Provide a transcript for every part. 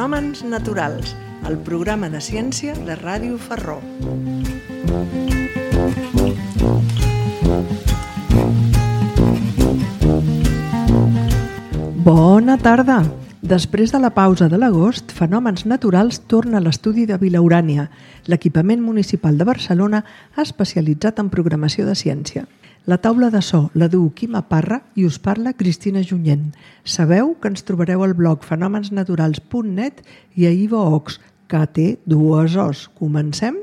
Fenòmens naturals, el programa de ciència de Ràdio Ferró. Bona tarda! Després de la pausa de l'agost, Fenòmens Naturals torna a l'estudi de Vilaurània, l'equipament municipal de Barcelona especialitzat en programació de ciència. La taula de so la du Quima Parra i us parla Cristina Junyent. Sabeu que ens trobareu al blog fenomensnaturals.net i a iVoox, que té dues O's. Comencem?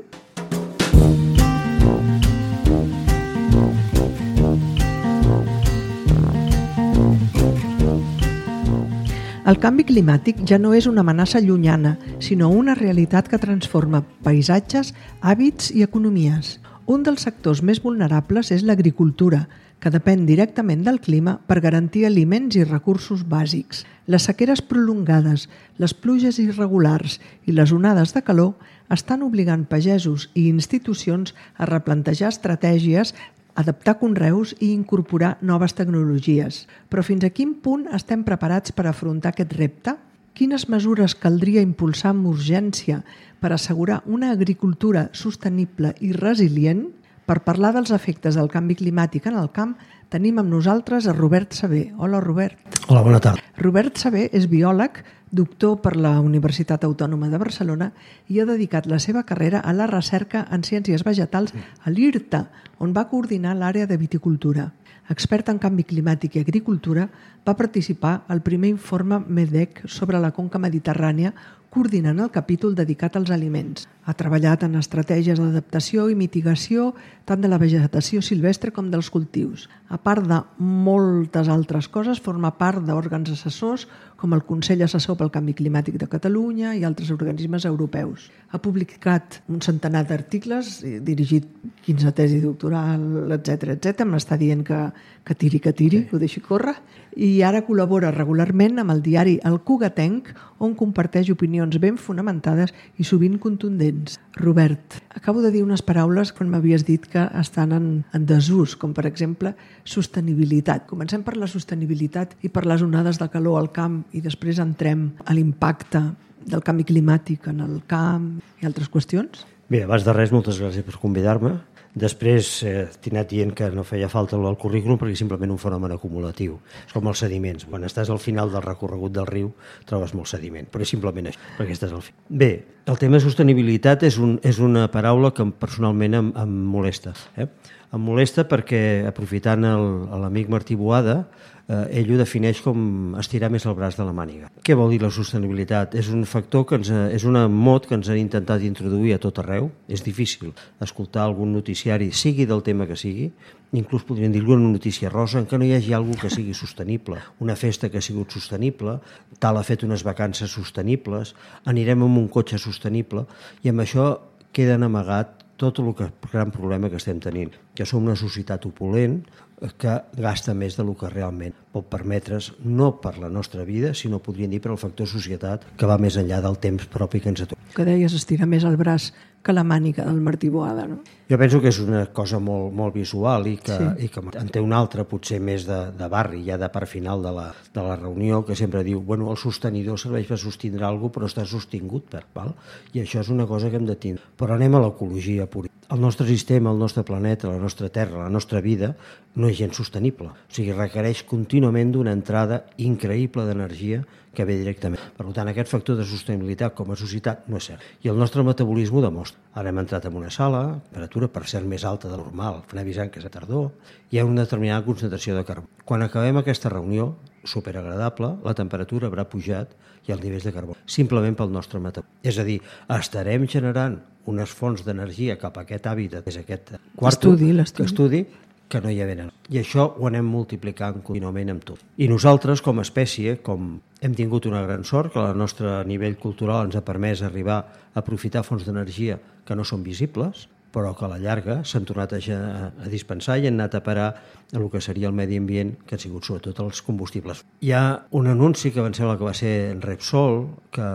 El canvi climàtic ja no és una amenaça llunyana, sinó una realitat que transforma paisatges, hàbits i economies. Un dels sectors més vulnerables és l'agricultura, que depèn directament del clima per garantir aliments i recursos bàsics. Les sequeres prolongades, les pluges irregulars i les onades de calor estan obligant pagesos i institucions a replantejar estratègies, adaptar conreus i incorporar noves tecnologies. Però fins a quin punt estem preparats per afrontar aquest repte? Quines mesures caldria impulsar amb urgència per assegurar una agricultura sostenible i resilient? Per parlar dels efectes del canvi climàtic en el camp, tenim amb nosaltres a Robert Sabé. Hola, Robert. Hola, bona tarda. Robert Sabé és biòleg, doctor per la Universitat Autònoma de Barcelona i ha dedicat la seva carrera a la recerca en ciències vegetals a l'IRTA, on va coordinar l'àrea de viticultura. Expert en canvi climàtic i agricultura, va participar al primer informe MEDEC sobre la conca mediterrània, coordinant el capítol dedicat als aliments. Ha treballat en estratègies d'adaptació i mitigació tant de la vegetació silvestre com dels cultius. A part de moltes altres coses, forma part d'òrgans assessors com el Consell Assessor pel Canvi Climàtic de Catalunya i altres organismes europeus. Ha publicat un centenar d'articles, dirigit 15 tesi doctoral, etc. M'està dient que tiri, que ho deixi córrer. I ara col·labora regularment amb el diari El Cugatenc, on comparteix opinions ben fonamentades i sovint contundents. Robert, acabo de dir unes paraules quan m'havies dit que estan en desús, com per exemple sostenibilitat. Comencem per la sostenibilitat i per les onades de calor al camp i després entrem a l'impacte del canvi climàtic en el camp i altres qüestions. Bé, abans de res, moltes gràcies per convidar-me. Després t'he anat dient que no feia falta el currículum perquè és simplement un fenomen acumulatiu. És com els sediments. Quan estàs al final del recorregut del riu trobes molt sediment, però és simplement això, perquè estàs al final. Bé, el tema de sostenibilitat és una paraula que personalment em molesta. Em molesta perquè, aprofitant l'amic Martí Boada, ell ho defineix com estirar més el braç de la màniga. Què vol dir la sostenibilitat? És un factor és una mot que ens han intentat introduir a tot arreu. És difícil escoltar algun noticiari, sigui del tema que sigui, inclús podríem dir-ho en una notícia rosa, en què no hi hagi alguna que sigui sostenible. Una festa que ha sigut sostenible, tal ha fet unes vacances sostenibles, anirem amb un cotxe sostenible, i amb això queden amagat tot el gran problema que estem tenint, que som una societat opulent que gasta més del que realment pot permetre's, no per la nostra vida, sinó podríem dir per el factor societat que va més enllà del temps propi que ens atura. Que deies estirar més el braç que la màniga del Martí Boada, no? Jo penso que és una cosa molt visual i que en té una altra, potser més de barri, ja de part final de la reunió, que sempre diu, bueno, el sostenidor serveix per sostindre alguna cosa, però està sostingut val? I això és una cosa que hem de tindre. Però anem a l'ecologia pura. El nostre sistema, el nostre planeta, la nostra terra, la nostra vida, no és gens sostenible. O sigui, requereix contínuament d'una entrada increïble d'energia que ve directament. Per tant, aquest factor de sostenibilitat com a societat no és cert. I el nostre metabolisme ho demostra. Ara hem entrat en una sala, temperatura per cert més alta de normal, anem avisant que és a tardor, hi ha una determinada concentració de carbó. Quan acabem aquesta reunió, superagradable, la temperatura haurà pujat i els nivells de carbó, simplement pel nostre metabolisme. És a dir, estarem generant unes fonts d'energia cap a aquest hàbitat, és aquest quart estudi, que no hi ha venen. I això ho anem multiplicant contínuament amb tot. I nosaltres, com a espècie, com hem tingut una gran sort, que el nostre nivell cultural ens ha permès arribar a aprofitar fonts d'energia que no són visibles, però que a la llarga s'han tornat a dispensar i han anat a parar a el que seria el medi ambient, que han sigut sobretot els combustibles. Hi ha un anunci que em sembla que va ser Repsol, que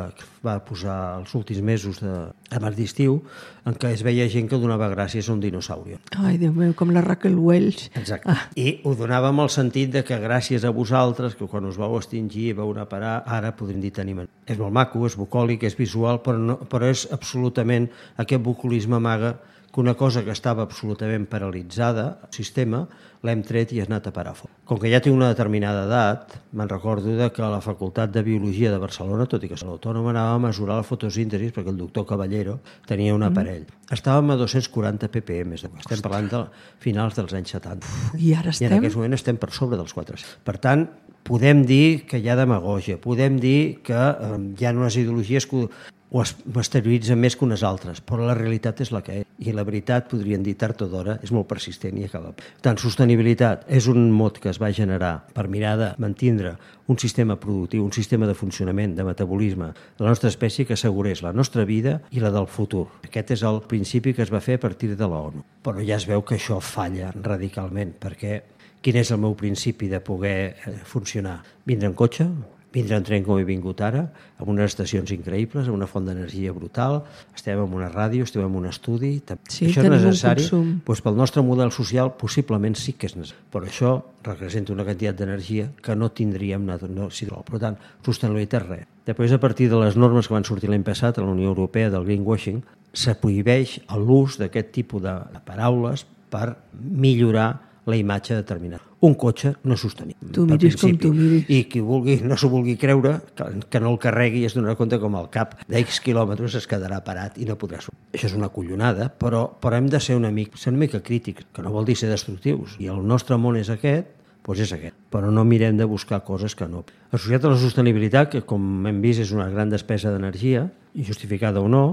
va posar els últims mesos abans d'estiu, en què es veia gent que donava gràcies a un dinosaurio. Ai, Déu meu, com la Raquel Welch. Exacte. I ho donava amb el sentit de que gràcies a vosaltres, que quan us vau extingir vau anar a parar, ara podríem dir tenim. És molt maco, és bucòlic, és visual, però és absolutament, aquest bucolisme amaga que una cosa que estava absolutament paralitzada, el sistema, l'hem tret i has anat a parar fora. Com que ja té una determinada edat, me'n recordo que a la Facultat de Biologia de Barcelona, tot i que l'Autònoma anava a mesurar la fotosíntesi, perquè el doctor Caballero tenia un aparell. Estàvem a 240 ppm, estem parlant de finals dels anys 70. I ara estem? I en aquest moment estem per sobre dels 400. Per tant, podem dir que hi ha demagògia, podem dir que hi ha unes ideologies que ho exterioritzen més que unes altres, però la realitat és la que és. I la veritat, podríem dir tard o d'hora, és molt persistent i acaba. Tant sostenibilitat és un mot que es va generar per mirar de mantindre un sistema productiu, un sistema de funcionament, de metabolisme de la nostra espècie que assegurés la nostra vida i la del futur. Aquest és el principi que es va fer a partir de l'ONU. Però ja es veu que això falla radicalment, perquè quin és el meu principi de poder funcionar? Vindre en cotxe, vindre en tren com he vingut ara, amb unes estacions increïbles, amb una font d'energia brutal, estem en una ràdio, estem en un estudi... Sí, això és necessari? Doncs pel nostre model social possiblement sí que és necessari, però això representa una quantitat d'energia que no tindríem, per tant, sostenibilitat res. Després, a partir de les normes que van sortir l'any passat a la Unió Europea del greenwashing, se prohibeix l'ús d'aquest tipus de paraules per millorar la imatge determinada. Un cotxe no és sostenible. Tu miris com tu miris. I qui no s'ho vulgui creure, que no el carregui, es donarà compte com al cap d'X quilòmetres es quedarà parat i no podrà sortir. Això és una collonada, però hem de ser una mica crítics, que no vol dir ser destructius. I el nostre món és aquest, doncs és aquest. Però no mirem de buscar coses que no. Associat a la sostenibilitat, que com hem vist és una gran despesa d'energia, justificada o no,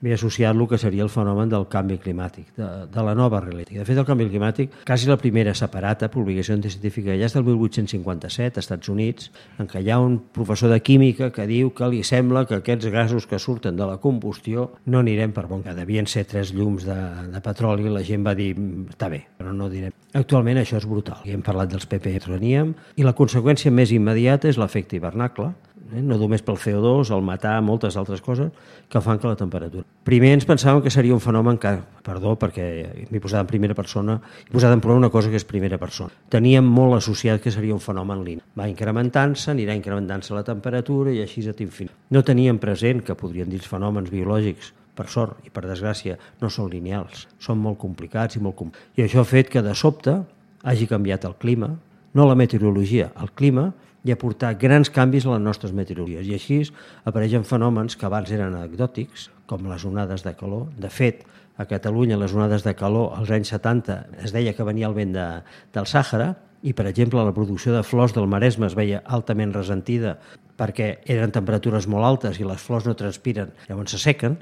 ve associat el que seria el fenomen del canvi climàtic, de la nova realitat. De fet, el canvi climàtic, quasi la primera separata, publicació científica, ja és del 1857, als Estats Units, en què hi ha un professor de química que diu que li sembla que aquests gasos que surten de la combustió no anirem per bon. Que devien ser 3 llums de petroli, i la gent va dir, està bé, però no direm. Actualment això és brutal. I hem parlat dels ppm que teníem, i la conseqüència més immediata és l'efecte hivernacle, no només pel CO2, el metà, moltes altres coses que fan que la temperatura. Primer ens pensàvem que seria un fenomen que, perdó, perquè m'he posat en primera persona, he posat en prova una cosa que és primera persona. Teníem molt associat que seria un fenomen lineal. Va incrementant-se, anirà incrementant-se la temperatura i així a infinit. No teníem present que podrien dir els fenòmens biològics, per sort i per desgràcia, no són lineals, són molt complicats i això ha fet que de sobte hagi canviat el clima, no la meteorologia, el clima, i aportar grans canvis a les nostres meteorologies. I així apareixen fenòmens que abans eren anecdòtics, com les onades de calor. De fet, a Catalunya les onades de calor als anys 70 es deia que venia el vent del Sàhara i, per exemple, la producció de flors del Maresme es veia altament ressentida perquè eren temperatures molt altes i les flors no transpiren, llavors s'assequen.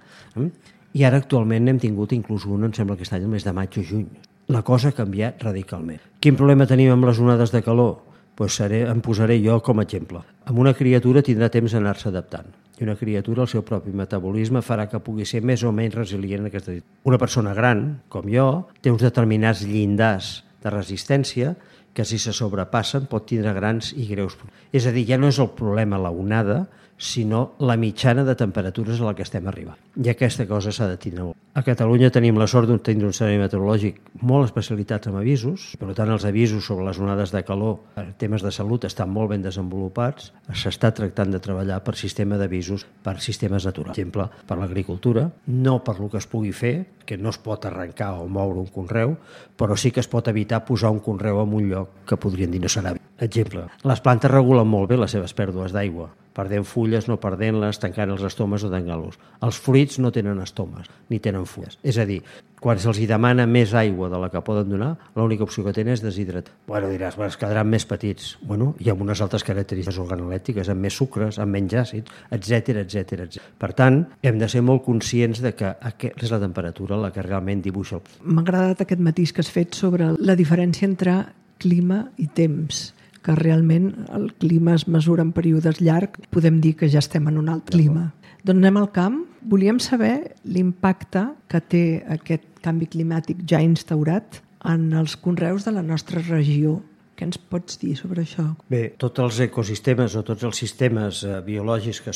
I ara actualment n'hem tingut inclús una, em sembla que aquest any, el mes de maig o juny. La cosa ha canviat radicalment. Quin problema tenim amb les onades de calor? Em posaré jo com a exemple. Amb una criatura tindrà temps d'anar-se adaptant. I una criatura, el seu propi metabolisme, farà que pugui ser més o menys resilient en aquesta situació. Una persona gran, com jo, té uns determinats llindars de resistència que si se sobrepassen pot tindre grans i greus problemes. És a dir, ja no és el problema la onada, sinó la mitjana de temperatures a la que estem arribant. I aquesta cosa s'ha de tindre molt. A Catalunya tenim la sort de tenir un servei meteorològic molt especialitzats en avisos, per tant els avisos sobre les onades de calor en temes de salut estan molt ben desenvolupats, s'està tractant de treballar per sistema d'avisos per sistemes naturals. Per exemple, per l'agricultura, no per lo que es pugui fer, que no es pot arrencar o moure un conreu, però sí que es pot evitar posar un conreu en un lloc que podrien dir no serà bé. Exemple, les plantes regulen molt bé les seves pèrdues d'aigua, perdent fulles, no perdent-les, tancant els estomes o tancant-los. Els fruits no tenen estomes, ni tenen fulles. És a dir, quan se'ls demana més aigua de la que poden donar, l'única opció que tenen és deshidratar. Diràs, es quedaran més petits. I amb unes altres característiques organolèptiques, amb més sucres, amb menys àcids, etc. Per tant, hem de ser molt conscients de que és la temperatura la que realment dibuixa el... M'ha agradat aquest matís que has fet sobre la diferència entre clima i temps, que realment el clima es mesura en períodes llargs, podem dir que ja estem en un altre clima. Doncs anem al camp. Volíem saber l'impacte que té aquest canvi climàtic ja instaurat en els conreus de la nostra regió. Què ens pots dir sobre això? Bé, tots els ecosistemes o tots els sistemes biològics que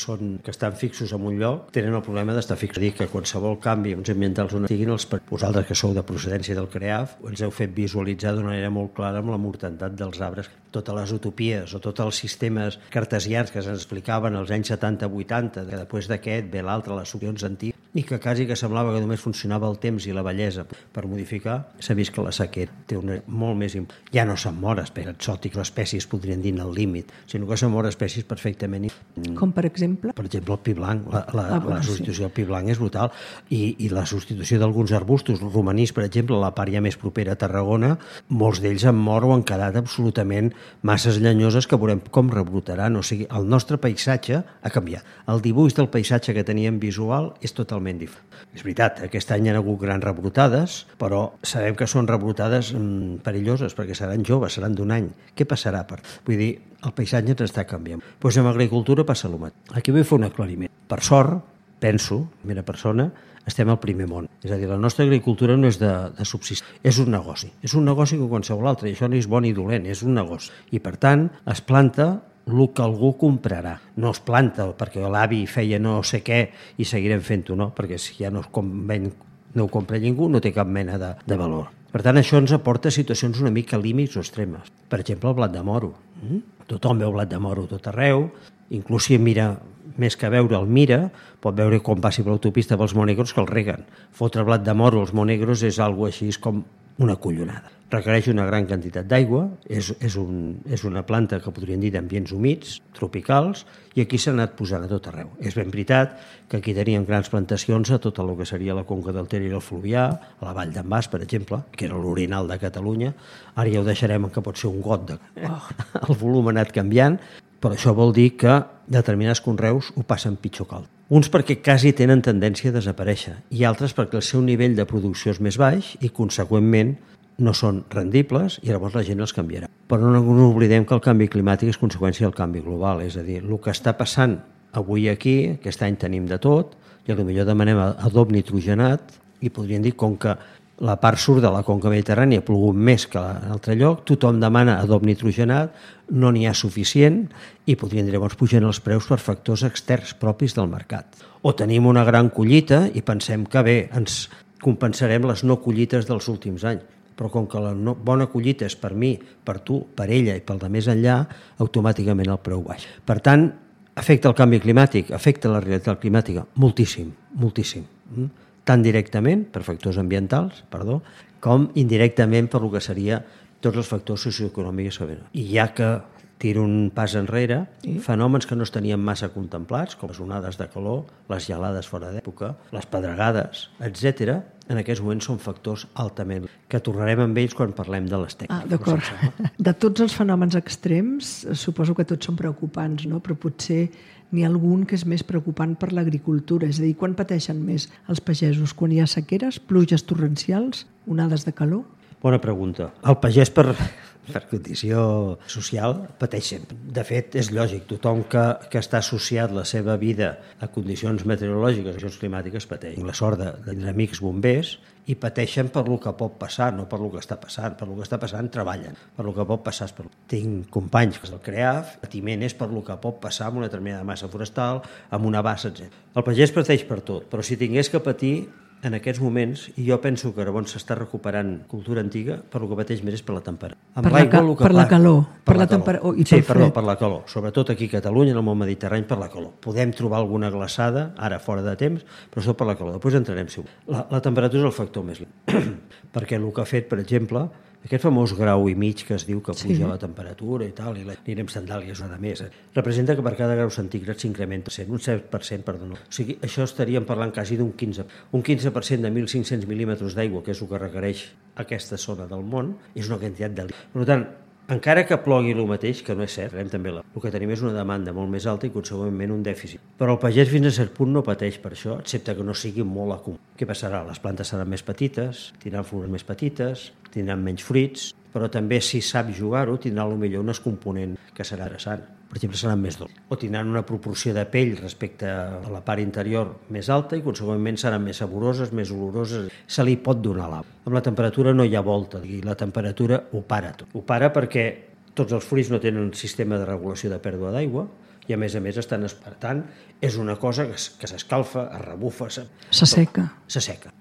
estan fixos en un lloc tenen el problema d'estar fixos. És a dir, que qualsevol canvi ambientals on estiguin, vosaltres que sou de procedència del CREAF, ens heu fet visualitzar d'una manera molt clara amb la mortalitat dels arbres. Totes les utopies o tots els sistemes cartesians que se'ns explicaven als anys 70-80, que després d'aquest ve l'altre, les solucions antigues, i que quasi que semblava que només funcionava el temps i la bellesa per modificar, s'ha vist que la sequera té una molt més... Ja no se'n mor espècies exòtiques, espècies podrien dir al límit, sinó que se'n mor espècies perfectament... Com per exemple? Per exemple, el pi blanc. La substitució del pi blanc és brutal. I la substitució d'alguns arbustos, romanís, per exemple, la part ja més propera a Tarragona, molts d'ells han mort o han quedat absolutament masses llenyoses que veurem com rebrotaran. O sigui, el nostre paisatge ha canviat. El dibuix del paisatge que teníem visual és totalment diferent. És veritat, aquest any hi ha hagut grans rebrotades, però sabem que són rebrotades perilloses, perquè seran joves, seran d'un any. Què passarà? Vull dir, el paisatge ens està canviant. Doncs amb agricultura passa el mateix. Aquí vull fer un aclariment. Per sort, penso, primera persona, estem al primer món. És a dir, la nostra agricultura no és de subsistir, és un negoci. És un negoci com qualsevol altre, i això no és bon ni dolent, és un negoci. I per tant, es planta el que algú comprarà. No es planta perquè l'avi feia no sé què i seguirem fent-ho, no? Perquè si ja no ho compra ningú, no té cap mena de valor. Per tant, això ens aporta situacions una mica límits o extremes. Per exemple, el blat de moro. Tothom veu blat de moro tot arreu, inclús si mira, més que veure el mira, pot veure com passi per l'autopista pels monegros que el reguen. Fotre blat de moro als monegros és algo així com una collonada. Requereix una gran quantitat d'aigua, és una planta que podríem dir d'ambients humits, tropicals, i aquí s'ha anat posant a tot arreu. És ben veritat que aquí teníem grans plantacions a tot el que seria la conca del Ter i el Fluvià, a la Vall d'en Bas, per exemple, que era l'orinal de Catalunya. Ara ja ho deixarem que pot ser un got. El volum ha anat canviant, però això vol dir que determinats conreus ho passen pitjor que altres. Uns perquè quasi tenen tendència a desaparèixer i altres perquè el seu nivell de producció és més baix i, conseqüentment, no són rendibles i llavors la gent els canviarà. Però no ens oblidem que el canvi climàtic és conseqüència del canvi global, és a dir, el que està passant avui aquí, aquest any tenim de tot, i potser demanem adob nitrogenat i podríem dir, com que la part sud de la conca mediterrània ha plogut més que a l'altre lloc, tothom demana adob nitrogenat, no n'hi ha suficient i podríem dir, llavors pugen els preus per factors externs propis del mercat. O tenim una gran collita i pensem que bé, ens compensarem les no collites dels últims anys. Però com que la bona collita és per mi, per tu, per ella i pel de més enllà, automàticament el preu baixa. Per tant, afecta el canvi climàtic, afecta la realitat climàtica moltíssim, moltíssim. Tant directament, per factors ambientals, com indirectament per el que seria tots els factors socioeconòmics. I ja que tiro un pas enrere, fenòmens que no es tenien massa contemplats, com les onades de calor, les gelades fora d'època, les pedregades, etc., en aquests moments són factors altament, que tornarem amb ells quan parlem de les tècniques. D'acord. De tots els fenòmens extrems, suposo que tots són preocupants, no? Però potser n'hi ha algun que és més preocupant per l'agricultura. És a dir, quan pateixen més els pagesos? Quan hi ha sequeres, pluges torrencials, onades de calor? Bona pregunta. El pagès, per condició social, pateix sempre. De fet, és lògic. Tothom que està associat la seva vida a condicions meteorològiques, a condicions climàtiques, pateix. Tinc la sort de tenir amics bombers i pateixen per lo que pot passar, no per lo que està passant. Per lo que està passant treballen. Per lo que pot passar és per lo. Tinc companys que del CREAF, el patiment és per lo que pot passar amb una determinada massa forestal, amb una bassa, etc. El pagès pateix per tot, però si tingués que patir en aquests moments, i jo penso que llavors s'està recuperant cultura antiga, per el que pateix més és per la temperatura. Per la calor. Per la calor. Sí, perdó, per la calor. Sobretot aquí a Catalunya, en el món mediterrani, per la calor. Podem trobar alguna glaçada, ara fora de temps, però sobretot per la calor. Després entrarem si la temperatura és el factor més perquè el que ha fet, per exemple, aquest famós grau i mig que es diu que puja la temperatura i tal, i anirem sandàlies o de més, representa que per cada grau centígrad s'incrementa un 7%, perdó. O sigui, això estaríem parlant quasi d'un 15%. Un 15% de 1.500 mil·límetres d'aigua, que és el que requereix aquesta zona del món, és una quantitat de... Per tant, encara que plogui el mateix, que no és cert, també el que tenim és una demanda molt més alta i consegüentment un dèficit. Però el pagès fins a cert punt no pateix per això, excepte que no sigui molt acumulat. Què passarà? Les plantes seran més petites, tindran flors més petites, tindran menys fruits, però també si sap jugar-ho tindrà potser un component que serà interessant. per exemple, seran més dolces. O tindran una proporció de pell respecte a la part interior més alta i, consegüentment, seran més saboroses, més oloroses. Se li pot donar l'au. Amb la temperatura no hi ha volta, i la temperatura ho para tot. Ho para perquè tots els fruits no tenen un sistema de regulació de pèrdua d'aigua, i a més estan espertant. És una cosa que s'escalfa, es rebufa, s'asseca.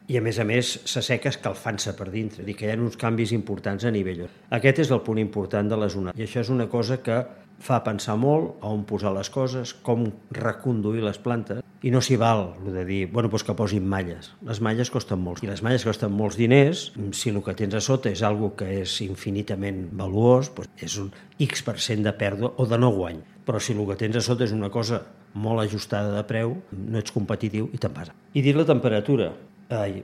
I a més s'asseca escalfant-se per dintre, i que hi ha uns canvis importants a nivell. Aquest és el punt important de les onades, i això és una cosa que fa pensar molt a on posar les coses, com reconduir les plantes, i no s'hi val de dir, doncs que posin malles. Les malles costen molts, i les malles costen molts diners. Si el que tens a sota és algo que és infinitament valuós, és un X% de pèrdua o de no guany. Però si el que tens a sota és una cosa molt ajustada de preu, no ets competitiu i te'n vas. I dir la temperatura,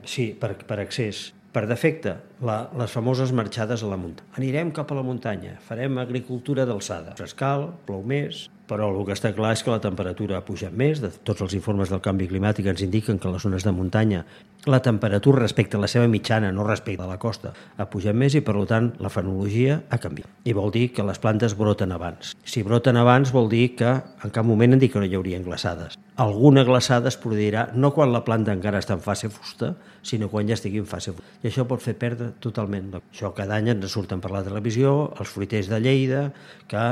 sí, per excés. Per defecte, les famoses marxades a la muntanya. Anirem cap a la muntanya, farem agricultura d'alçada. S'escal, plou més, però el que està clar és que la temperatura ha pujat més. Tots els informes del canvi climàtic ens indiquen que a les zones de muntanya la temperatura respecte a la seva mitjana, no respecte a la costa, ha pujat més i, per tant, la fenologia ha canviat. I vol dir que les plantes broten abans. Si broten abans vol dir que en cap moment han dit que no hi haurien glaçades. Alguna glaçada es produirà no quan la planta encara està en fase fusta, sinó quan ja estigui en fase fusta. I això pot fer perdre totalment. Això cada any ens surten per la televisió, els fruiters de Lleida, que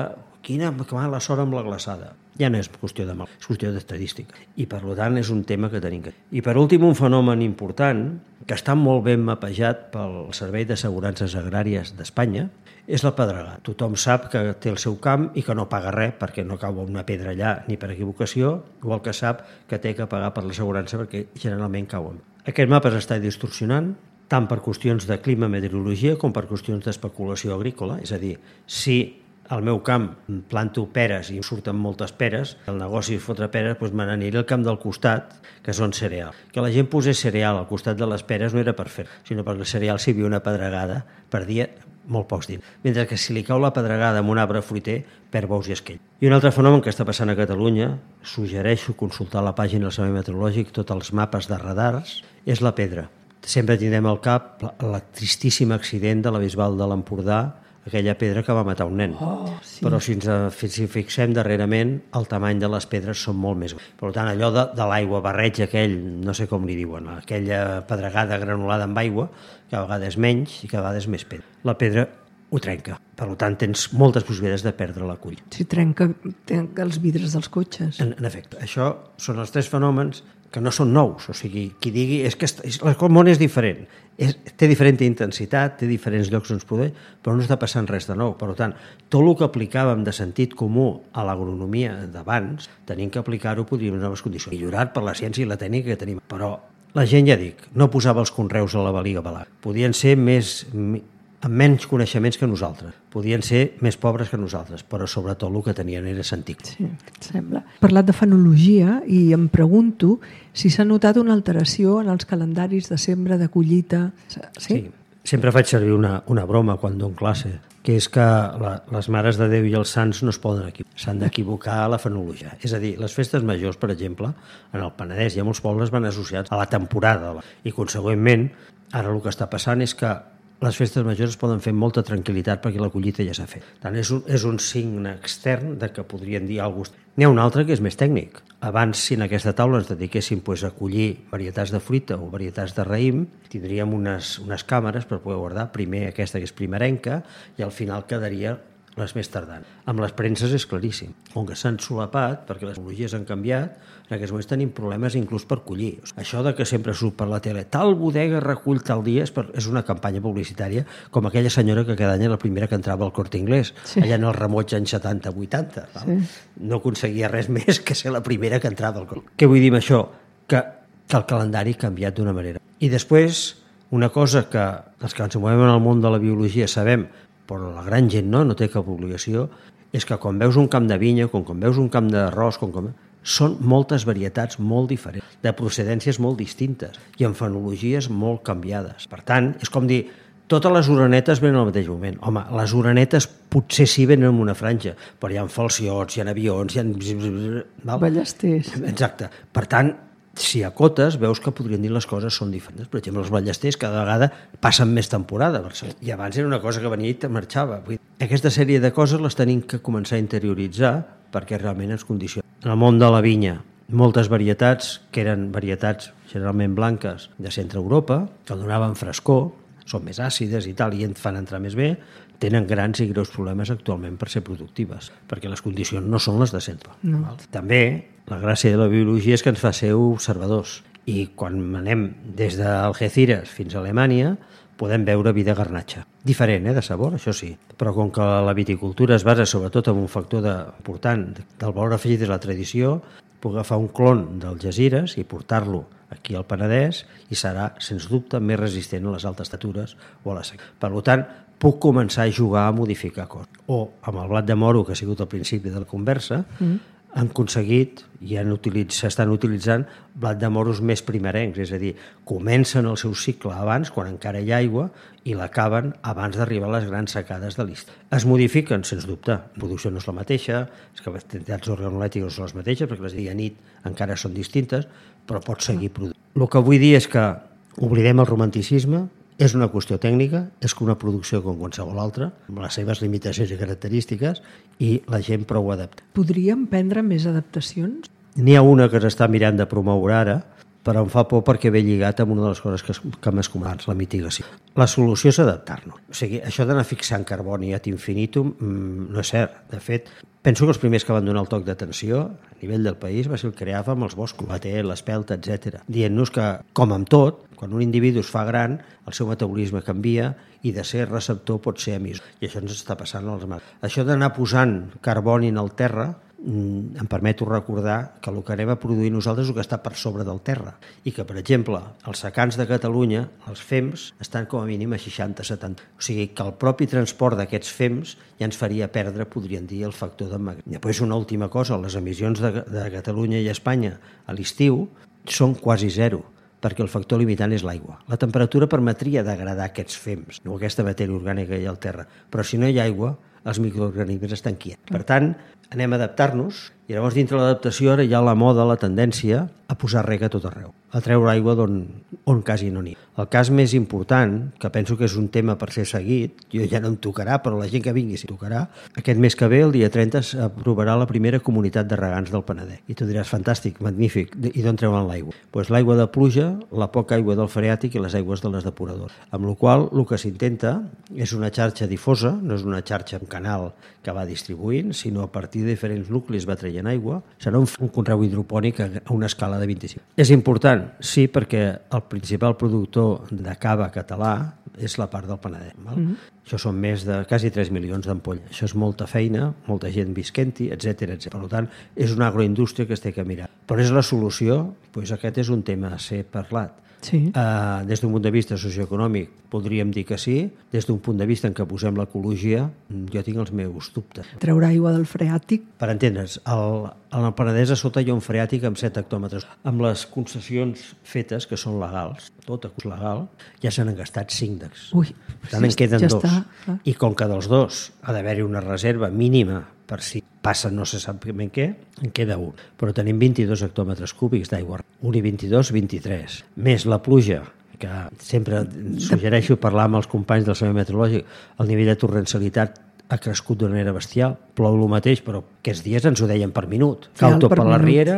quina mala sort amb la glaçada. Ja no és qüestió de mal, és qüestió d'estadística. I, per tant, és un tema que tenim que... I, per últim, un fenomen important, que està molt ben mapejat pel Servei d'Assegurances Agràries d'Espanya, és la pedregada. Tothom sap que té el seu camp i que no paga res perquè no cau una pedra allà ni per equivocació, igual que sap que té que pagar per l'assegurança perquè generalment cauen. Aquest mapa s'està distorsionant, tant per qüestions de clima, meteorologia, com per qüestions d'especulació agrícola. És a dir, si al meu camp planto peres i surten moltes peres, el negoci és fotre peres, doncs me n'aniré al camp del costat, que són cereal. Que la gent posés cereal al costat de les peres no era per fer, sinó perquè el cereal, si havia una pedregada, perdia molt pocs diners. Mentre que si li cau la pedregada amb un arbre fruiter, perd bous i esquell. I un altre fenomen que està passant a Catalunya, suggereixo consultar la pàgina del Servei Meteorològic, tots els mapes de radars, és la pedra. Sempre tindrem al cap el tristíssim accident de la Bisbal de l'Empordà, aquella pedra que va matar un nen. Sí. Però si ens fixem darrerament, el tamany de les pedres són molt més grans. Per tant, allò de l'aigua barreig aquell, no sé com li diuen, aquella pedregada granulada amb aigua, que a vegades menys i que a vegades més pedra. La pedra ho trenca. Per tant, tens moltes possibilitats de perdre la cull. Si trenca els vidres dels cotxes. En efecte, això són els tres fenòmens que no són nous. O sigui, qui digui és que el món és diferent. Té diferent intensitat, té diferents llocs on es produeix, però no està passant res de nou. Per tant, tot el que aplicàvem de sentit comú a l'agronomia d'abans, tenim que aplicar-ho, podríem en noves condicions. Millorat per la ciència i la tècnica que tenim. Però la gent, ja dic, no posava els conreus a la valiga balat. Podien ser amb menys coneixements que nosaltres. Podien ser més pobres que nosaltres, però sobretot el que tenien era sentit. Sí, et sembla. He parlat de fenologia i em pregunto si s'ha notat una alteració en els calendaris de sembra, de collita. Sí? Sempre faig servir una broma quan dono classe, que és que les mares de Déu i els sants no es poden equivocar, s'han d'equivocar a la fenologia. És a dir, les festes majors, per exemple, en el Penedès i a molts pobles van associats a la temporada i, consegüentment, ara el que està passant és que les festes majors es poden fer amb molta tranquil·litat perquè la collita ja s'ha fet. Tant és un signe extern de que podrien dir alguna cosa. N'hi ha un altre que és més tècnic. Abans, si en aquesta taula ens dediquéssim a collir varietats de fruita o varietats de raïm, tindríem unes càmeres per poder guardar primer aquesta que és primerenca i al final quedaria les més tardans. Amb les premses és claríssim. Com que s'han solapat, perquè les tecnologies han canviat, en aquests moments tenim problemes inclús per collir. Això de que sempre surt per la tele, tal bodega recull tal dia, és una campanya publicitària com aquella senyora que cada any era la primera que entrava al Corte Inglés, allà en el remoig anys 70-80. Sí. No aconseguia res més que ser la primera que entrava al Corte Inglés. Què vull dir amb això? Que el calendari ha canviat d'una manera. I després, una cosa que els que ens movem en el món de la biologia sabem, però la gran gent no té cap obligació, és que quan veus un camp de vinya, quan veus un camp d'arròs, són moltes varietats molt diferents, de procedències molt distintes i amb fenologies molt canviades. Per tant, és com dir, totes les orenetes venen al mateix moment. Home, les orenetes potser sí venen en una franja, però hi ha falciots, hi ha avions, hi ha... Ballesters. Exacte. Per tant, si acotes, veus que podrien dir les coses són diferents. Per exemple, els ballesters cada vegada passen més temporada a Barcelona. I abans era una cosa que venia i te marxava. Aquesta sèrie de coses les tenim que començar a interioritzar perquè realment ens condiciona. En el món de la vinya, moltes varietats, que eren varietats generalment blanques de centre Europa, que donaven frescor, són més àcides i tal, i et fan entrar més bé, tenen grans i greus problemes actualment per ser productives, perquè les condicions no són les de sempre. No. També la gràcia de la biologia és que ens fa ser observadors, i quan anem des d'Algeciras fins a Alemanya podem veure vi de garnatxa. Diferent, de sabor, això sí, però com que la viticultura es basa sobretot en un factor important del valor afegit de la tradició, puc agafar un clon d'Algeciras i portar-lo aquí al Penedès i serà, sens dubte, més resistent a les altes temperatures o a la sequera. Per tant, puc començar a jugar a modificar coses. O amb el blat de moro, que ha sigut al principi de la conversa, han aconseguit i s'estan utilitzant blat de moros més primerencs, és a dir, comencen el seu cicle abans, quan encara hi ha aigua, i l'acaben abans d'arribar a les grans secades de l'estiu. Es modifiquen, sens dubte. La producció no és la mateixa, les capacitats organolètiques no són les mateixes, perquè les de dia i nit encara són distintes, però pot seguir produint. El que vull dir és que oblidem el romanticisme, és una qüestió tècnica, és una producció com qualsevol altra, amb les seves limitacions i característiques, i la gent prou adapta. Podríem prendre més adaptacions? N'hi ha una que s'està mirant de promoure ara, però em fa por perquè ve lligat amb una de les coses que m'has comentat, la mitigació. La solució és adaptar-nos. O sigui, això d'anar fixant carboni ad infinitum no és cert. De fet, penso que els primers que van donar el toc d'atenció a nivell del país va ser el que creava amb els boscos, la té, l'espelta, etc. Dient-nos que, com amb tot, quan un individu es fa gran, el seu metabolisme canvia i de ser receptor pot ser emissor. I això ens està passant als mars. Això d'anar posant carboni en el terra em permeto recordar que el que anem a produir nosaltres és el que està per sobre del terra i que, per exemple, els secans de Catalunya, els FEMS, estan com a mínim a 60-70. O sigui que el propi transport d'aquests FEMS ja ens faria perdre, podríem dir, el factor d'emmagatzematge. Després, una última cosa, les emissions de Catalunya i Espanya a l'estiu són quasi zero, perquè el factor limitant és l'aigua. La temperatura permetria degradar aquests FEMS, no aquesta matèria orgànica que hi ha al terra, però si no hi ha aigua, els microorganismes estan quiets. Per tant, anem a adaptar-nos i llavors dintre l'adaptació ara hi ha la moda, la tendència a posar reg a tot arreu, a treure aigua on quasi no n'hi ha. El cas més important, que penso que és un tema per ser seguit, jo ja no em tocarà, però la gent que vingui s'hi tocarà, aquest mes que ve, el dia 30, s'aprovarà la primera comunitat de regants del Penedès. I tu diràs, fantàstic, magnífic, i d'on treuen l'aigua? Doncs l'aigua de pluja, la poca aigua del freàtic i les aigües de les depuradores. Amb la qual cosa, el que s'intenta és una xarxa difosa, no és una xarxa, un canal que va distribuint, sinó a partir de diferents nuclis va traient aigua. Serà un conreu hidropònic a una escala de 25. És important, sí, perquè el principal productor de cava català és la part del Penedès. Això són més de quasi 3 milions d'ampolles. Això és molta feina, molta gent visquent-hi, etc. Per tant, és una agroindústria que es té que mirar. Però és la solució? Doncs aquest és un tema a ser parlat. Sí. Des d'un punt de vista socioeconòmic podríem dir que sí, des d'un punt de vista en què posem l'ecologia jo tinc els meus dubtes. Treure aigua del freàtic? Per entendre's, al Penedès a sota hi ha un freàtic amb 7 hectòmetres. Amb les concessions fetes, que són legals, tot és legal, ja se n'han gastat 5 Ui, per tant, en queden ja 2. Està. I com que dels 2 ha d'haver-hi una reserva mínima per si passa no se sap ben què, en queda un. Però tenim 22 hectòmetres cúbics d'aigua. 1 i 22, 23. Més la pluja, que sempre suggereixo parlar amb els companys del Servei Meteorològic, el nivell de torrencialitat ha crescut d'una manera bestial. Plou el mateix, però aquests dies ens ho deien per minut. Cau tot per la riera,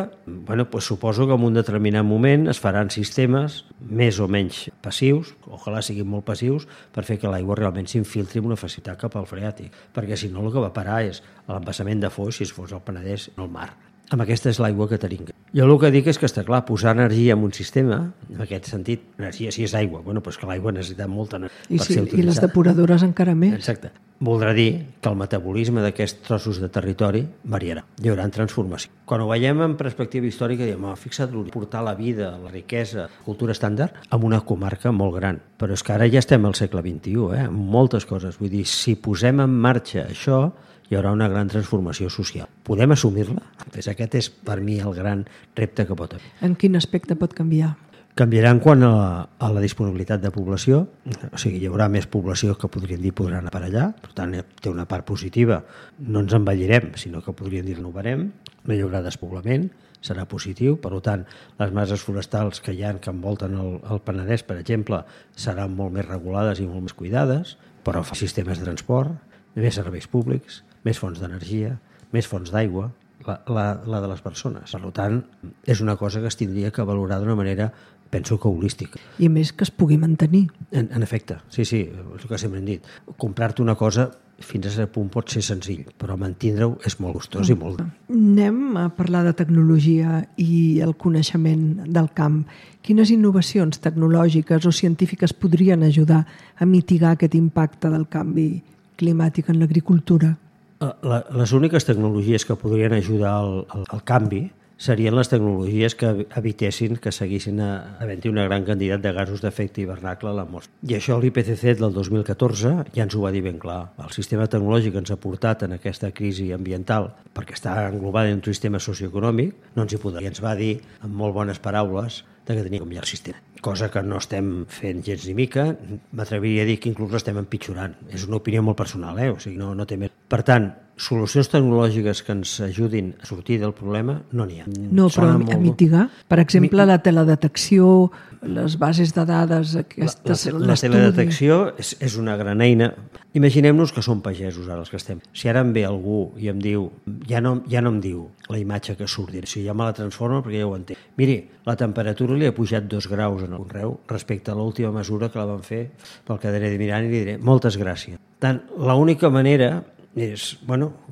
suposo que en un determinat moment es faran sistemes més o menys passius, ojalà siguin molt passius, per fer que l'aigua realment s'infiltri amb una facilitat cap al freàtic, perquè si no el que va parar és l'embassament de Foix, si es fos al Penedès, no al mar. Amb aquesta és l'aigua que tenim. Jo el que dic és que està clar, posar energia en un sistema, en aquest sentit, energia si és aigua, doncs que l'aigua necessita molta energia per ser utilitzada. I les depuradores encara més. Exacte. Voldrà dir que el metabolisme d'aquests trossos de territori variarà. Hi haurà transformació. Quan ho veiem en perspectiva històrica, diem, fixa't, portar la vida, la riquesa, la cultura estàndard a una comarca molt gran. Però és que ara ja estem al segle XXI, amb moltes coses. Vull dir, si posem en marxa això, hi haurà una gran transformació social. Podem assumir-la? Aquest és, per mi, el gran repte que pot haver. En quin aspecte pot canviar? Canviaran quan a la disponibilitat de població, o sigui, hi haurà més població que podríem dir podran anar per allà, per tant, té una part positiva. No ens envellirem, sinó que podríem dir renovarem, no hi haurà despoblament, serà positiu, per tant, les masses forestals que hi ha que envolten el Penedès, per exemple, seran molt més regulades i molt més cuidades, però fa sistemes de transport, més serveis públics, més fonts d'energia, més fonts d'aigua, la de les persones. Per tant, és una cosa que es tindria que valorar d'una manera, penso que holística. I a més que es pugui mantenir. En efecte, sí, és el que sempre hem dit. Comprar-te una cosa fins a cert punt pot ser senzill, però mantindre-ho és molt gustós i molt... Anem a parlar de tecnologia i el coneixement del camp. Quines innovacions tecnològiques o científiques podrien ajudar a mitigar aquest impacte del canvi climàtic en l'agricultura? Les úniques tecnologies que podrien ajudar al canvi serien les tecnologies que evitessin que seguissin havent-hi una gran quantitat de gasos d'efecte hivernacle a l'atmosfera. I això l'IPCC del 2014 ja ens ho va dir ben clar. El sistema tecnològic que ens ha portat en aquesta crisi ambiental, perquè està englobada en un sistema socioeconòmic, no ens hi podrà. I ens va dir, amb molt bones paraules, que tenia que canviar el sistema. Cosa que no estem fent gens ni mica, m'atreviria a dir que inclús l'estem empitjorant. És una opinió molt personal, o sigui, no té més. Per tant, solucions tecnològiques que ens ajudin a sortir del problema no n'hi ha. No, però a mitigar? Per exemple, la teledetecció, les bases de dades, la teledetecció és una gran eina. Imaginem-nos que som pagesos ara els que estem. Si ara em ve algú i em diu, ja no em diu la imatge que surt, si ja me la transforma perquè ja ho entenc. Miri, la temperatura li ha pujat 2 graus en el conreu respecte a l'última mesura que la van fer pel que daré de mirant i li diré moltes gràcies. Tant, l'única manera és,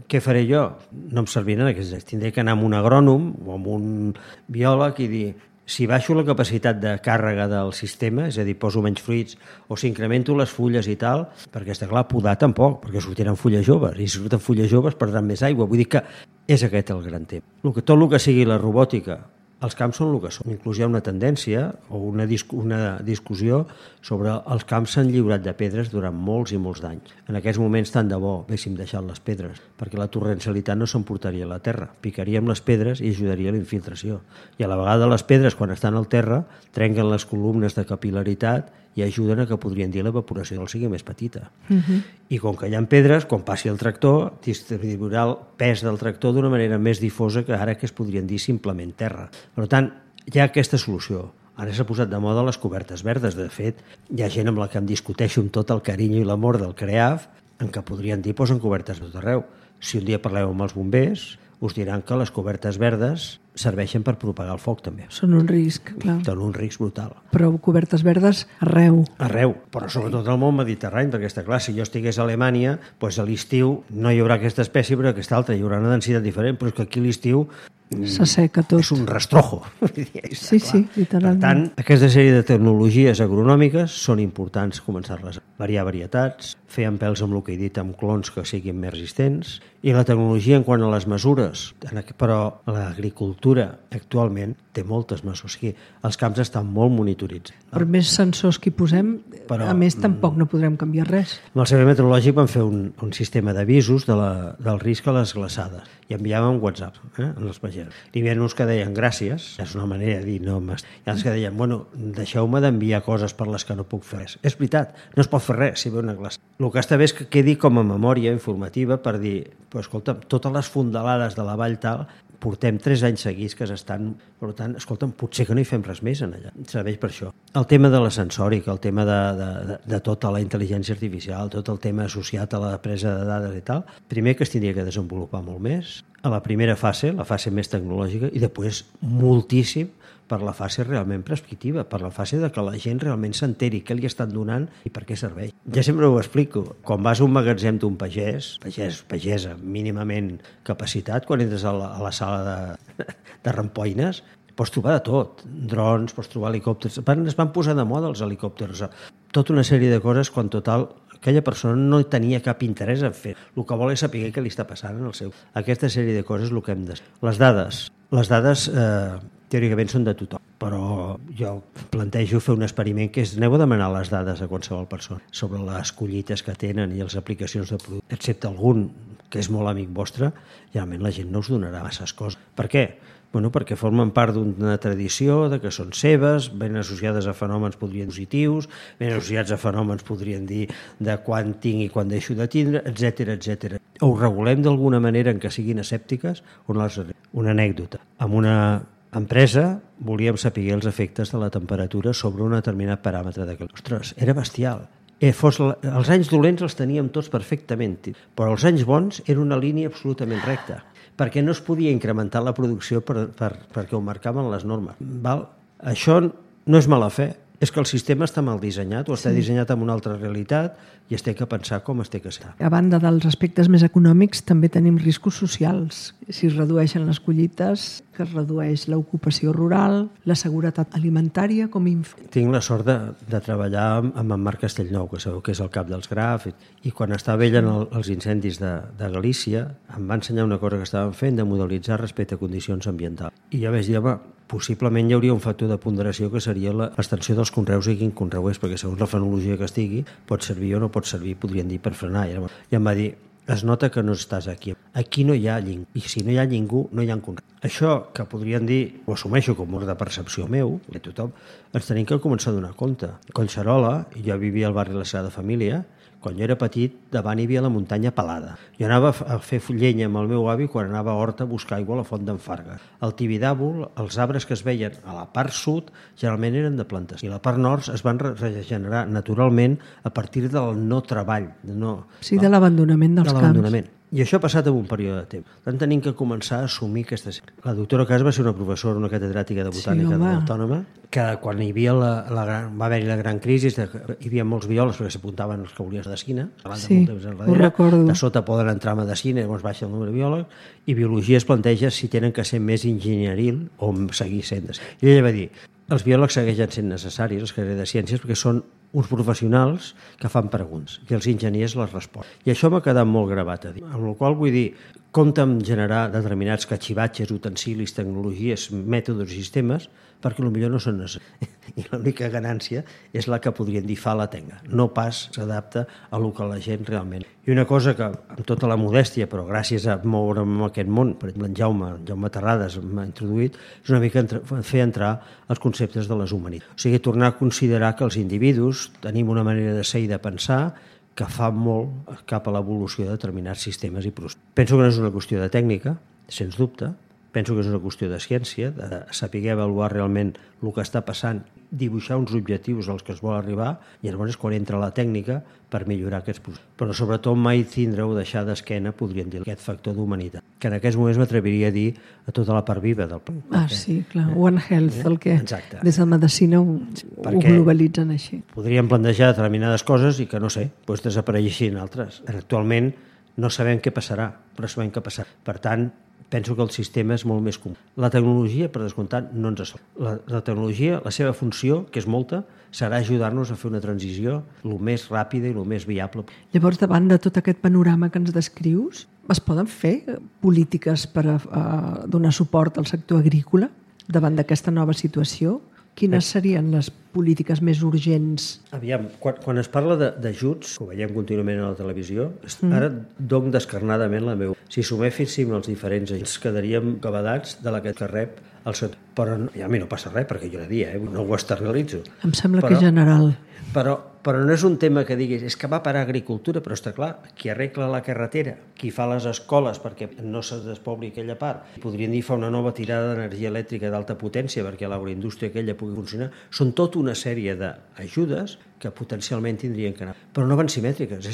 què faré jo? No em serviran aquests. Tindré que anar amb un agrònom o amb un biòleg i dir, si baixo la capacitat de càrrega del sistema, és a dir, poso menys fruits, o si incremento les fulles i tal, perquè està clar, podar tampoc, perquè sortiran fulles joves, i si surten fulles joves perdran més aigua. Vull dir que és aquest el gran tema. Tot el que sigui la robòtica, els camps són el que són. Inclús hi ha una tendència o una discussió sobre els camps s'han lliurat de pedres durant molts i molts d'anys. En aquests moments tant de bo haguéssim deixat les pedres, perquè la torrencialitat no s'emportaria a la terra. Picaríem les pedres i ajudaria a la infiltració. I a la vegada les pedres, quan estan al terra, trenquen les columnes de capil·laritat i ajuden a que podrien dir l'evaporació sigui més petita. I com que hi ha pedres, quan passi el tractor, distribuirà el pes del tractor d'una manera més difosa que ara que es podrien dir simplement terra. Per tant, hi ha aquesta solució. Ara s'ha posat de moda les cobertes verdes. De fet, hi ha gent amb la que em discuteixo amb tot el carinyo i l'amor del CREAF en què podrien dir posen cobertes de tot arreu. Si un dia parleu amb els bombers, us diran que les cobertes verdes serveixen per propagar el foc també. Són un risc, clar. Són un risc brutal. Però cobertes verdes arreu. Arreu, però sobretot al món mediterrani, perquè està clar, si jo estigués a Alemanya, doncs a l'estiu no hi haurà aquesta espècie, però aquesta altra, hi haurà una densitat diferent, però és que aquí a l'estiu s'asseca tot. És un rastrojo. Sí, literalment. Per tant, aquesta sèrie de tecnologies agronòmiques són importants començar-les a variar varietats, fer empelts amb el que he dit, amb clons que siguin més resistents, i la tecnologia en quant a les mesures, però l'agricultura actualment té moltes mesures. O sigui, els camps estan molt monitoritzats. Per més sensors que hi posem, a més tampoc no podrem canviar res. Amb el Servei Meteorològic vam fer un sistema d'avisos del risc a les glaçades i enviàvem WhatsApp als pagesos. I hi havia uns que deien gràcies, és una manera de dir no m'estic. I els que deien, deixeu-me d'enviar coses per les que no puc fer res. És veritat, no es pot fer res si ve una glaça. El que està bé és que quedi com a memòria informativa per dir, escolta, totes les fondalades de la vall tal portem 3 anys seguits que s'estan... Per tant, escolta'm, potser que no hi fem res més en allà. Serveix per això. El tema de la sensòrica, el tema de tota la intel·ligència artificial, tot el tema associat a la presa de dades i tal, primer que es tindria que desenvolupar molt més, a la primera fase, la fase més tecnològica, i després moltíssim per la fase realment prescriptiva, per la fase de que la gent realment s'enteri què li estan donant i per què serveix. Ja sempre ho explico. Quan vas a un magatzem d'un pagesa mínimament capacitat, quan entres a la sala de rampoines, pots trobar de tot. Drons, pots trobar helicòpters. Es van posar de moda els helicòpters. Tota una sèrie de coses quan total aquella persona no tenia cap interès en fer. El que vol és saber què li està passant en el seu. Aquesta sèrie de coses és el que hem de... Les dades teòricament són de tothom, però jo plantejo fer un experiment que és aneu a demanar les dades a qualsevol persona sobre les collites que tenen i les aplicacions de producte, excepte algun que és molt amic vostre, realment la gent no us donarà masses coses. Per què? Perquè formen part d'una tradició, de que són seves, ben associades a fenòmens podrien dir positius, ben associats a fenòmens podrien dir de quan tinc i quan deixo de tindre, etc. Ho regulem d'alguna manera en què siguin escèptiques o no les... Una anècdota. Amb una empresa volíem saber els efectes de la temperatura sobre un determinat paràmetre de calor. Ostres, era bestial. Els anys dolents els teníem tots perfectament, però els anys bons era una línia absolutament recta, perquè no es podia incrementar la producció perquè ho marcaven les normes. Això no és mala fe, és que el sistema està mal dissenyat o està dissenyat amb una altra realitat i es té que pensar com es té que ser. A banda dels aspectes més econòmics, també tenim riscos socials. Si es redueixen les collites, que es redueix l'ocupació rural, la seguretat alimentària, Tinc la sort de treballar amb en Marc Castellnou, que sabeu que és el cap dels Graf, i quan estava ell en els incendis de Galícia, em va ensenyar una cosa que estaven fent de modelitzar respecte a condicions ambientals. I jo vaig dir, home, possiblement hi hauria un factor de ponderació que seria l'extensió dels conreus i quin conreu és, perquè segons la fenologia que estigui pot servir o no pot servir, podrien dir, per frenar. I em va dir, es nota que no estàs aquí. Aquí no hi ha ningú, i si no hi ha ningú, no hi ha conreu. Això que podrien dir, ho assumeixo com una de percepció meu, de tothom, ens tenim que començar a donar compte. A Collserola, jo vivia al barri de la Sagrada Família, quan jo era petit, davant hi havia la muntanya pelada. Jo anava a fer llenya amb el meu avi quan anava a Horta a buscar aigua a la font d'en Farga. Al Tibidàbol, els arbres que es veien a la part sud generalment eren de plantes i a la part nord es van regenerar naturalment a partir del no treball. Sí, de l'abandonament dels camps. I això ha passat en un període de temps. Per tant, tenim que començar a assumir aquestes... La doctora Cas va ser una professora, una catedràtica de botànica de l'Autònoma, que quan hi havia va haver-hi la gran crisi, hi havia molts biòlegs perquè s'apuntaven els que volien medicina, ho recordo. De sota poden entrar a medicina, llavors baixa el número de biòlegs, i biologia es planteja si tenen que ser més enginyeril o seguir sent. I ella va dir, els biòlegs segueixen sent necessaris, els carrers de ciències, perquè són uns professionals que fan preguntes i els enginyers les responen. I això m'ha quedat molt gravat a dir. Amb la qual vull dir, compta en generar determinats catxivatges, utensilis, tecnologies, mètodes i sistemes perquè potser no són necessaris. I l'única ganància és la que podrien dir fa la tenga. No pas s'adapta a lo que la gent realment. I una cosa que, amb tota la modèstia, però gràcies a moure'm en aquest món, per exemple, en Jaume Terrades m'ha introduït, és una mica fer entrar els conceptes de les humanitats. O sigui, tornar a considerar que els individus tenim una manera de ser i de pensar que fa molt cap a l'evolució de determinats sistemes i processos. Penso que no és una qüestió de tècnica, sens dubte, penso que és una qüestió de ciència, de saber avaluar realment el que està passant, dibuixar uns objectius als que es vol arribar, i llavors és quan entra la tècnica per millorar aquests processos. Però sobretot mai tindre o deixar d'esquena, podríem dir, aquest factor d'humanitat, que en aquests moments m'atreviria a dir a tota la part viva del planeta. Sí, clar, One Health, el que des de medicina ho globalitzen així. Podríem plantejar determinades coses i que, no sé, desapareixin altres. Actualment no sabem què passarà, però sabem què passarà. Per tant, penso que el sistema és molt més comú. La tecnologia, per descomptat, no ens assol. La tecnologia, la seva funció, que és molta, serà ajudar-nos a fer una transició el més ràpida i el més viable. Llavors, davant de tot aquest panorama que ens descrius, es poden fer polítiques per donar suport al sector agrícola davant d'aquesta nova situació? Quines serien les polítiques més urgents? Aviam, quan es parla d'ajuts, que ho veiem contínuament a la televisió, ara dono descarnadament la meva. Si suméssim els diferents ajuts, quedaríem acabadats de la que rep el sector. Però a mi no passa res, perquè jo no ho externalitzo. Em sembla que és general. Però no és un tema que diguis, és que va per agricultura, però està clar, qui arregla la carretera, qui fa les escoles perquè no se despobli aquella part, podrien dir fa una nova tirada d'energia elèctrica d'alta potència perquè l'agroindústria aquella pugui funcionar, són tota una sèrie d'ajudes que potencialment tindrien que anar. Però no van simètriques,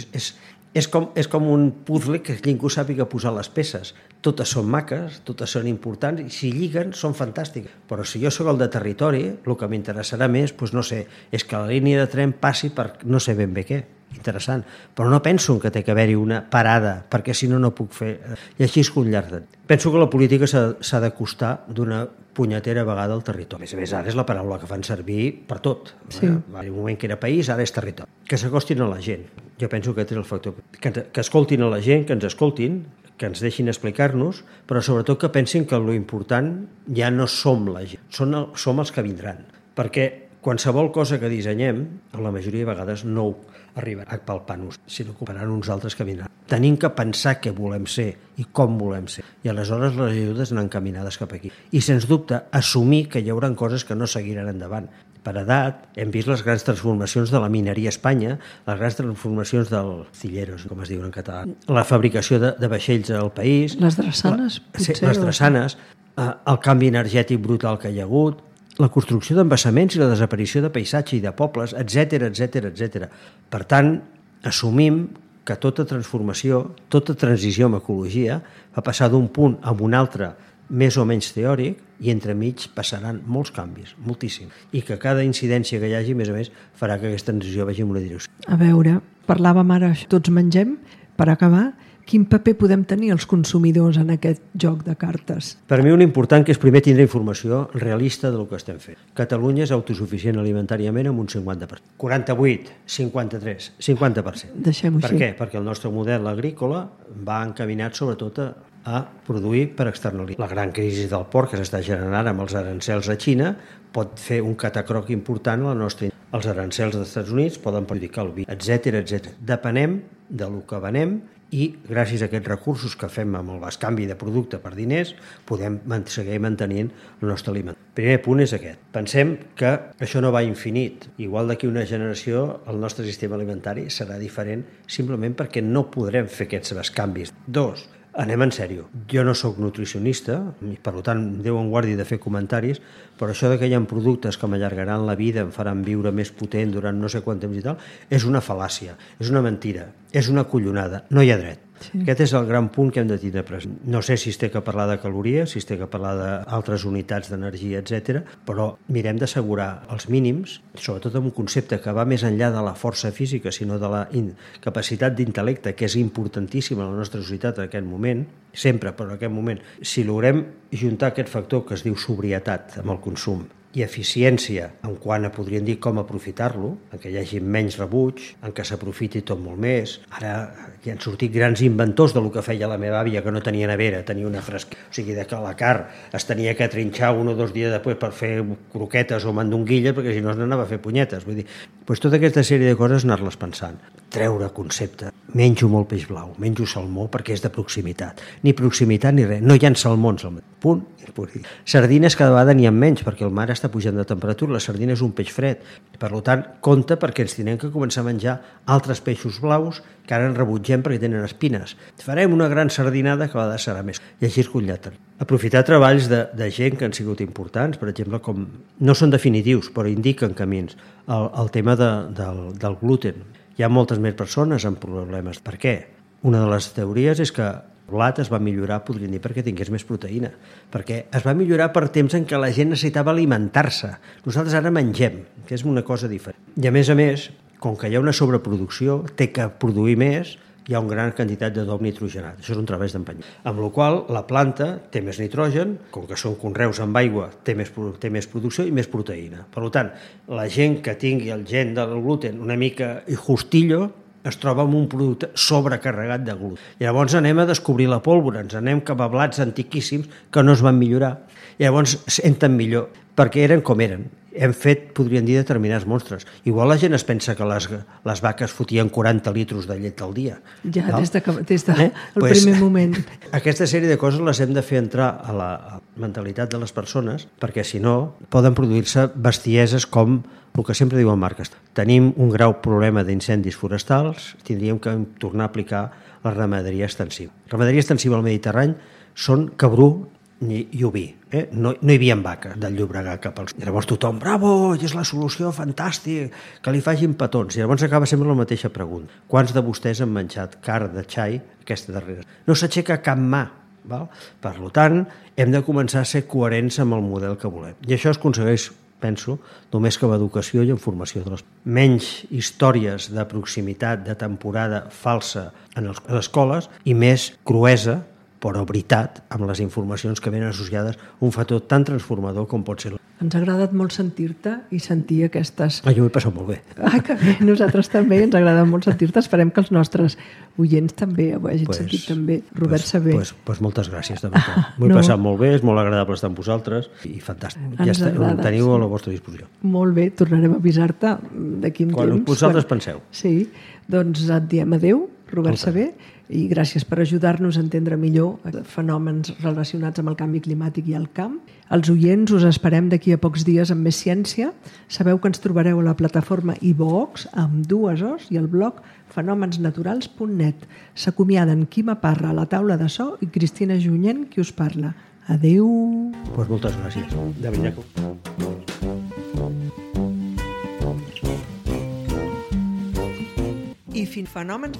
és com un puzzle que ningú sàpiga posar les peces. Totes són maques, totes són importants, i si lliguen són fantàstiques. Però si jo soc el de territori, el que m'interessarà més, doncs no sé, és que la línia de tren passi per no sé ben bé què. Interessant. Però no penso que té que haver-hi una parada, perquè si no, no puc fer... I així és que un llarg de... Penso que la política s'ha d'acostar d'una punyetera vegada al territori. A més, ara és la paraula que fan servir per tot. Sí. Va haver un moment que era país, ara és territori. Que s'acostin a la gent. Jo penso que aquest és el factor. Que escoltin a la gent, que ens escoltin, que ens deixin explicar-nos, però sobretot que pensin que l'important ja no som la gent, som els que vindran. Perquè qualsevol cosa que dissenyem, la majoria de vegades no arribarà a palpar-nos, sinó que operan uns altres que vindran. Tenim que pensar què volem ser i com volem ser. I aleshores les ajudes anar encaminades cap aquí. I, sens dubte, assumir que hi haurà coses que no seguiran endavant. Per edat, hem vist les grans transformacions de la mineria a Espanya, les grans transformacions dels cilleros, com es diuen en català, la fabricació de vaixells al país... Les drassanes, potser. Les drassanes, el canvi energètic brutal que hi ha hagut, la construcció d'embassaments i la desaparició de paisatge i de pobles, etc etc. Per tant, assumim que tota transformació, tota transició amb ecologia va passar d'un punt a un altre més o menys teòric i entremig passaran molts canvis, moltíssim, i que cada incidència que hi hagi, a més, farà que aquesta transició vagi en una direcció. A veure, parlàvem ara, tots mengem, per acabar, quin paper podem tenir els consumidors en aquest joc de cartes? Per mi un important que és primer tindre informació realista del que estem fent. Catalunya és autosuficient alimentàriament amb un 50%. 48, 53, 50%. Deixem-ho així. Per què? Perquè el nostre model agrícola va encaminat sobretot a produir per externalitzar. La gran crisi del porc que s'està generant amb els arancels a Xina pot fer un catacroc important a la nostra indústria. Els arancels dels Estats Units poden perjudicar el vi, etc. Depenem del que venem i gràcies a aquests recursos que fem amb el bescanvi de producte per diners podem seguir mantenint el nostre aliment. El primer punt és aquest. Pensem que això no va infinit. Igual d'aquí una generació el nostre sistema alimentari serà diferent simplement perquè no podrem fer aquests bescanvis. 2. Anem en sèrio. Jo no sóc nutricionista, i per tant, Déu em guardi de fer comentaris, però això que hi ha productes que m'allargaran la vida, em faran viure més potent durant no sé quant temps i tal, és una fal·làcia, és una mentira, és una collonada, no hi ha dret. Sí. Aquest és el gran punt que hem de tindre present. No sé si es té que parlar de calories, si es té que parlar d'altres unitats d'energia, etc. però mirem d'assegurar els mínims, sobretot amb un concepte que va més enllà de la força física, sinó de la capacitat d'intel·lecte, que és importantíssima a la nostra societat en aquest moment, sempre, però en aquest moment, si logrem juntar aquest factor que es diu sobrietat amb el consum i eficiència en quant a, podríem dir, com aprofitar-lo, en què hi hagi menys rebuig, en què s'aprofiti tot molt més. Ara hi han sortit grans inventors del que feia la meva àvia, que no tenia nevera, tenia una fresquera. O sigui, que la carn es tenia que trinxar 1 o 2 dies després per fer croquetes o mandonguilles, perquè si no es n'anava a fer punyetes. Vull dir, doncs tota aquesta sèrie de coses anar-les pensant. Treure concepte. Menjo molt peix blau, menjo salmó perquè és de proximitat. Ni proximitat ni res. No hi ha salmons al mar. Punt. Sardines cada vegada n'hi ha menys, perquè el mar està pujant de temperatura. La sardina és un peix fred. Per tant, compte perquè ens tindrem que començar a menjar altres peixos blaus que ara en rebutgem perquè tenen espines. Farem una gran sardinada que a vegades serà més. I així es conllaten. Aprofitar treballs de gent que han sigut importants, per exemple, com no són definitius, però indiquen camins. El tema del gluten. Hi ha moltes més persones amb problemes. Per què? Una de les teories és que el blat es va millorar, podríem dir, perquè tingués més proteïna. Perquè es va millorar per temps en què la gent necessitava alimentar-se. Nosaltres ara mengem, que és una cosa diferent. I a més, com que hi ha una sobreproducció, té que produir més, hi ha una gran quantitat d'adob nitrogenat. Això és un treball d'empanyar. Amb la qual la planta té més nitrogen, com que són conreus amb aigua, té més producció i més proteïna. Per tant, la gent que tingui el gen del gluten una mica justillo es troba amb un producte sobrecarregat de gluten. I llavors anem a descobrir la pólvora, ens anem cap a blats antiquíssims que no es van millorar. I llavors senten millor, perquè eren com eren. Hem fet, podríem dir, determinats monstres. Igual la gent es pensa que les vaques fotien 40 litros de llet al dia. Ja, no? des del primer moment. Aquesta sèrie de coses les hem de fer entrar a la mentalitat de les persones, perquè si no poden produir-se bestieses com el que sempre diuen marques. Tenim un greu problema d'incendis forestals, tindríem que tornar a aplicar la ramaderia extensiva. La ramaderia extensiva al Mediterrani són cabrú i oví. No hi havia vaques del Llobregat cap als... I llavors tothom, bravo, és la solució, fantàstic, que li facin petons. I llavors acaba sempre la mateixa pregunta. Quants de vostès han menjat carn de xai aquesta darrera? No s'aixeca cap mà. Val? Per tant, hem de començar a ser coherents amb el model que volem. I això es aconsegueix, penso, només que amb educació i en formació de les... Menys històries de proximitat, de temporada falsa a les escoles i més cruesa, però veritat, amb les informacions que venen associades un factor tan transformador com pot ser. Ens ha agradat molt sentir-te i sentir aquestes... Jo m'ho he passat molt bé. Que bé, nosaltres també ens ha agradat molt sentir-te. Esperem que els nostres oients també ho hagin sentit també. Robert Sabé. Pues moltes gràcies, de veritat. M'ho he passat molt bé, és molt agradable estar amb vosaltres i fantàstic. Ja teniu a la vostra disposició. Molt bé, tornarem a avisar-te d'aquí un temps. Quan vosaltres penseu. Sí, doncs et diem adéu, Robert Sabé, i gràcies per ajudar-nos a entendre millor fenòmens relacionats amb el canvi climàtic i el camp. Els oients us esperem d'aquí a pocs dies amb més ciència. Sabeu que ens trobareu a la plataforma iVox amb 2 O's i el blog fenomensnaturals.net. S'acomiaden Quima Parra a la taula de so i Cristina Junyent, qui us parla. Adéu. Pues moltes gràcies. De veritat. I fins fenòmens